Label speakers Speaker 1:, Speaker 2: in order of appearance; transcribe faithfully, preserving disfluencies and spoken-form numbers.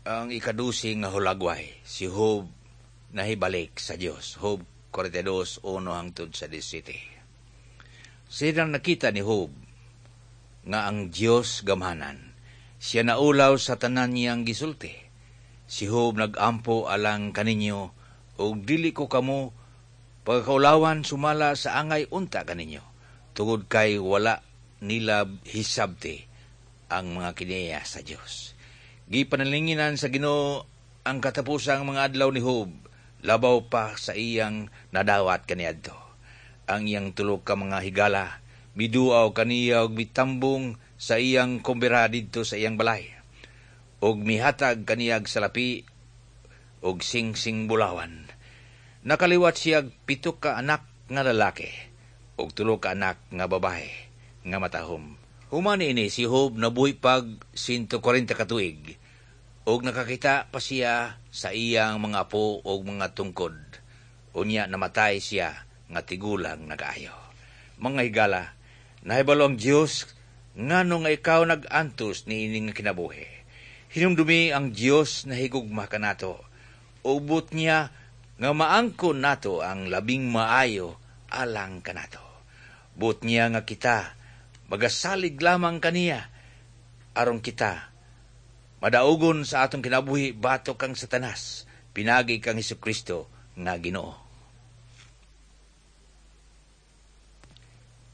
Speaker 1: Ang ikadusi nga hulagway, si Job nahibalik sa Dios. Job kwarenta y dos, uno hangtod sa labing-siyete. Silang nakita ni Job nga ang Dios gamhanan. Siya naulaw sa tanan niyang gisulti. Si Job nagampo alang kaninyo ug dili ko kamo pagkaulawan sumala sa angay unta kaninyo tungod kay wala nila hisabti ang mga kinaiya sa Dios. Gipanalinginan sa Ginoo ang katapusang mga adlaw ni Job, labaw pa sa iyang nadawat kaniadto. Ang iyang tulo ka mga higala miduaw kaniya og mitambong sa iyang kumbira didto sa iyang balay. Og mihatag kaniyag salapi og singsing bulawan. Nakaliwat siya pito ka anak nga lalaki ug tulo ka anak nga babae nga matahom. Human ini si Job nabuhi pag siyento kwarenta ka tuig ug nakakita pa siya sa iyang mga apo ug mga tungkod. Unya namatay siya nga tigulang na kaayo. Mga higala, nahibalo ang Dios ngano nga ikaw nag-antos niini nga kinabuhi. Hinumdumi, ang Dios nahigugma kanato. Buot niya nga maangkon nato ang labing maayo alang kanato. Buot niya nga kita magasalig lamang kaniya aron kita madaugon sa atong kinabuhi batok kang Satanas pinagi kang Hesukristo nga Ginoo.